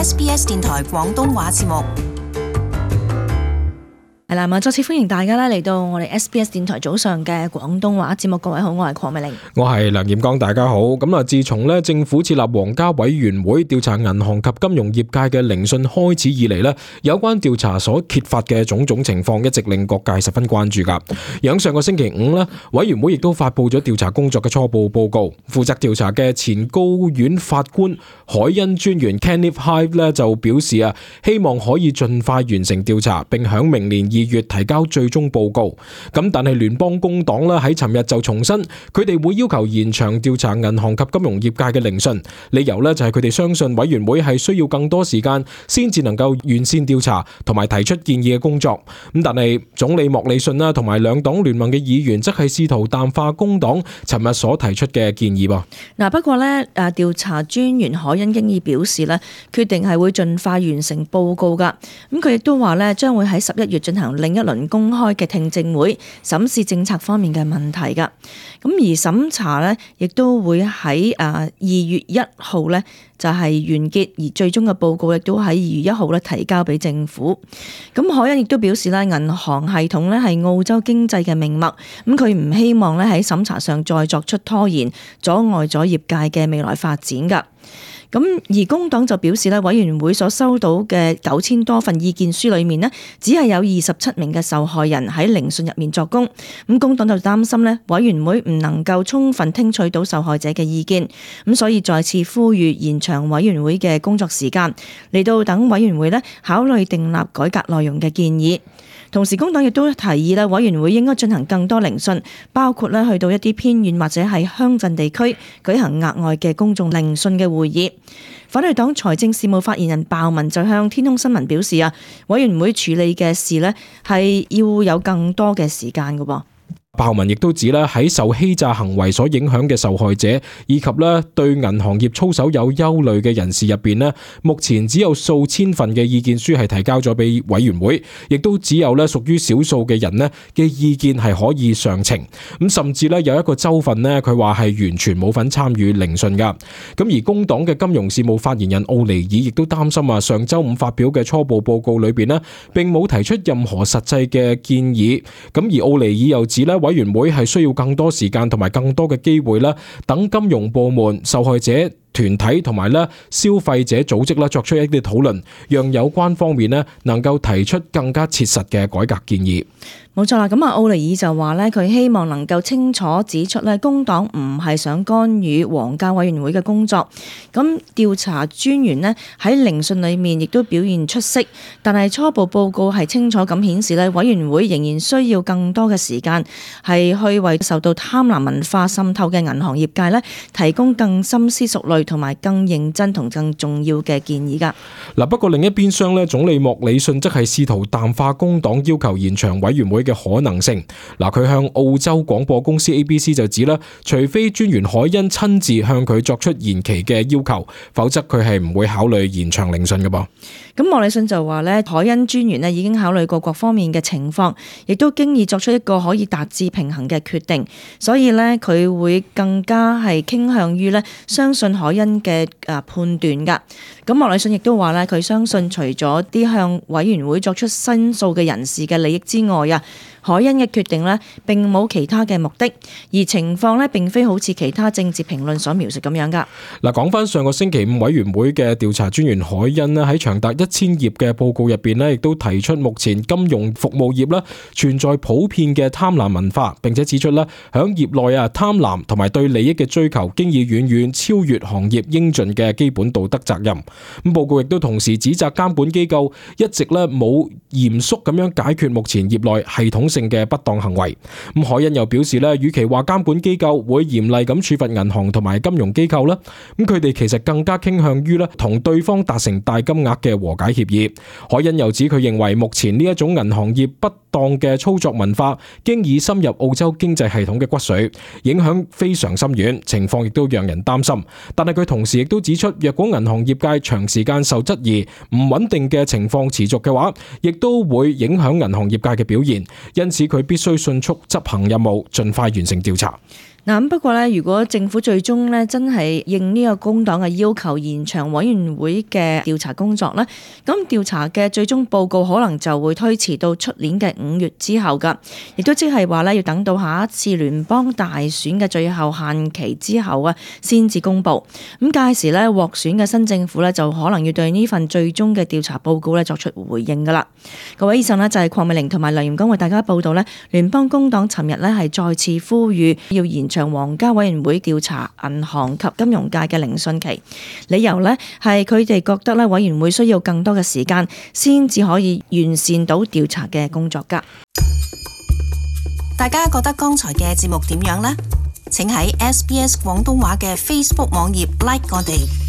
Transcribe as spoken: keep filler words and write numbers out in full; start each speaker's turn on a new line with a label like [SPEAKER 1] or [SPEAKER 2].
[SPEAKER 1] S B S 電台廣東話節目。
[SPEAKER 2] 係啦，再次歡迎大家咧嚟到我哋 S B S 電台早上嘅廣東話節目。各位好，我係鄺美玲，
[SPEAKER 3] 我係梁炎剛，大家好。咁啊，自從咧政府設立皇家委員會調查銀行及金融業界嘅聆訊開始以嚟咧，有關調查所揭發嘅種種情況，一直令各界十分關注噶。而上個星期五咧，委員會亦都發布咗調查工作嘅初步報告。負責調查嘅前高院法官海恩專員 Kenneth Hive 咧就表示啊，希望可以盡快完成調查，並響明年二月提交最終報告。咁但係聯邦工黨咧喺尋日就重申，佢哋會要求延長調查銀行及金融業界嘅聆訊，理由咧就係佢哋相信委員會係需要更多時間先至能夠完善調查同埋提出建議嘅工作。咁但係總理莫里遜啦同埋兩黨聯盟嘅議員則係試圖淡化工黨尋日所提出嘅建議噃。
[SPEAKER 2] 嗱，不過咧誒調查專員海恩經已表示咧，決定係會盡快完成報告噶。咁佢亦都話咧，將會喺十一月進行另一輪公開嘅聽證會，審視政策方面嘅問題噶。咁而審查咧，亦都會喺誒二月一號咧就係完結，而最終嘅報告亦都喺二月一號咧提交俾政府。咁海恩亦都表示咧，銀行系統咧係澳洲經濟嘅命脈，咁佢唔希望咧喺審查上再作出拖延，阻礙咗業界嘅未來發展噶。咁而工黨就表示咧，委員會所收到嘅九千多份意見書裏面呢，只係有二十七名嘅受害人喺聆訊入面作供。咁工黨就擔心咧，委員會唔能夠充分聽取到受害者嘅意見，咁所以再次呼籲延長委員會嘅工作時間，嚟到等委員會咧考慮訂立改革內容嘅建議。同時，工黨亦都提議咧，委員會應該進行更多聆訊，包括咧去到一啲偏遠或者係鄉鎮地區舉行額外嘅公眾聆訊嘅會議。反對黨財政事務發言人鮑文就向天空新聞表示啊，委員會處理嘅事咧係要有更多嘅時間㗎噃。
[SPEAKER 3] 鮑文亦都指咧，喺受欺詐行為所影響嘅受害者，以及咧對銀行業操守有憂慮嘅人士入邊咧，目前只有數千份嘅意見書係提交咗俾委員會，亦都只有咧屬於少數嘅人咧嘅意見係可以上呈。咁甚至咧有一個州份咧，佢話係完全冇份參與聆訊噶。咁而工黨嘅金融事務發言人奧尼爾亦都擔心啊，上周五發表嘅初步報告裏邊咧，並冇提出任何實際嘅建議。咁而奧尼爾又指咧，委員會係需要更多時間同埋更多嘅機會啦，等金融部門、受害者團體同埋咧消費者組織啦作出一啲討論，讓有關方面咧能夠提出更加切實嘅改革建議。
[SPEAKER 2] 冇錯啦，咁啊奧尼爾就話咧，佢希望能夠清楚指出咧，工黨唔係想干預皇家委員會嘅工作。咁調查專員咧喺聆訊裏面亦都表現出色，但係初步報告係清楚咁顯示咧，委員會仍然需要更多嘅時間，係去為受到貪婪文化滲透嘅銀行業界咧提供更深思熟慮同埋更認真同更重要嘅建議噶。
[SPEAKER 3] 嗱，不過另一邊廂咧，總理莫里遜則係試圖淡化工黨要求延長委員會嘅可能性。嗱，佢向澳洲廣播公司 A B C 就指啦，除非專員海恩親自向佢作出延期嘅要求，否則佢係唔會考慮延長聆訊嘅噃。
[SPEAKER 2] 咁莫里遜就話咧，海恩專員咧已經考慮過各方面嘅情況，亦都經已作出一個可以達至平衡嘅決定，所以咧佢會更加係傾向於咧相信海恩嘅誒判斷噶。咁莫里遜亦都話咧，佢相信除咗啲向委員會作出申訴嘅人士嘅利益之外啊，海恩嘅決定呢並冇其他嘅目的，而情況呢並非好似其他政治評論所描述咁樣噶。
[SPEAKER 3] 嗱，講翻上個星期五委員會嘅調查專員海恩呢，喺長達一千頁嘅報告入邊呢，亦都提出目前金融服務業啦存在普遍嘅貪婪文化，並且指出啦，響業內啊貪婪同埋對利益嘅追求，經已遠遠超越行業應盡嘅基本道德責任。咁報告亦都同時指責監管機構一直咧冇嚴肅咁樣解決目前業內系統性嘅不當行為。咁海恩又表示咧，與其話監管機構會嚴厲咁處罰銀行同埋金融機構啦，咁佢哋其實更加傾向於咧同對方達成大金額嘅和解協議。海恩又指佢認為目前呢一種銀行業不當嘅操作文化，經已深入澳洲經濟系統嘅骨髓，影響非常深遠，情況亦都讓人擔心。但係佢同時亦都指出，若果銀行業界長時間受質疑、唔穩定嘅情況持續嘅話，亦都會影響銀行業界嘅表現，因此佢必須迅速執行任務，盡快完成調查。
[SPEAKER 2] 嗱，不過咧，如果政府最終咧真係應呢個工黨嘅要求延長委員會嘅調查工作咧，咁調查嘅最終報告可能就會推遲到出年嘅五月之後噶，亦都即係話咧要等到下一次聯邦大選嘅最後限期之後啊，先至公布。咁屆時咧獲選嘅新政府咧就可能要對呢份最終嘅調查報告咧作出回應噶啦。各位，以上咧就係鄺美玲同埋梁炎光為大家報道咧，聯邦工黨尋日咧係再次呼籲要延長皇家委員會調查銀行及金融界嘅聆訊期，理由呢係佢哋覺得咧委員會需要更多嘅時間先至可以完善到調查嘅工作噶。
[SPEAKER 1] 大家覺得剛才嘅節目點樣呢？請喺 S B S 廣東話嘅 Facebook 網頁 like 我哋。